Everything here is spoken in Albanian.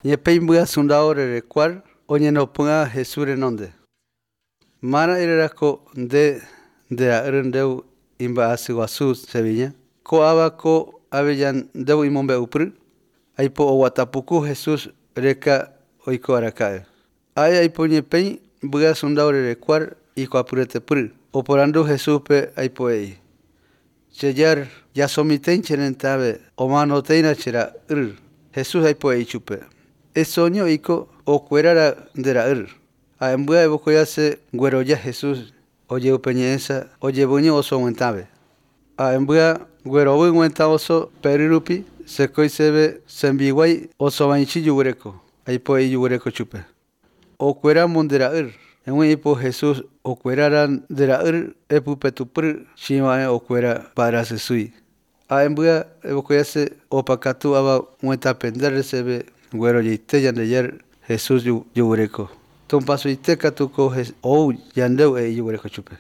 Ñepéi mbya sundao rerekuar oñenopỹ'a Jesús renonde. Mara irerako nde ndera'ýrõ ndéu imba'asy guasu Seviña. Ko'ãva ko aveja ndéu imombe'upy, aipo oguatapuku Jesús reka oiko araka'e. Ha'e aipo ñepéi mbya sundao rerekuar ikuapyretepy. Oporandu Jesúspe aipo he'i. Che Jar, jasomitẽi che rentave omanotéina che ra'ýr. Jesús aipo he'i chupe. Esoño oiko okuérara nde ra'ýr. Ha'e mbya evokoiase gueroja Jesús ojeupeñe'ẽsa ojevyño oso guentãve. Ha'e mbya guerovy guentã oso pery rupi sekoiseve sembiguái osovãichi juguereko. Aipo he'i juguereko chupe. Okuéramo nde ra'ýr. Eg̃ui ipo Jesús okuérara nde ra'ýr epypetupy chiva'ẽ okuéra mba'erasysýi. Ha'e mbya evokoiase opakatu ava guetãpende reseve guerojaite Ñandejára Jesús juguereko. Tupãsuite katu ko ou ñandéu he'i juguereko chupe.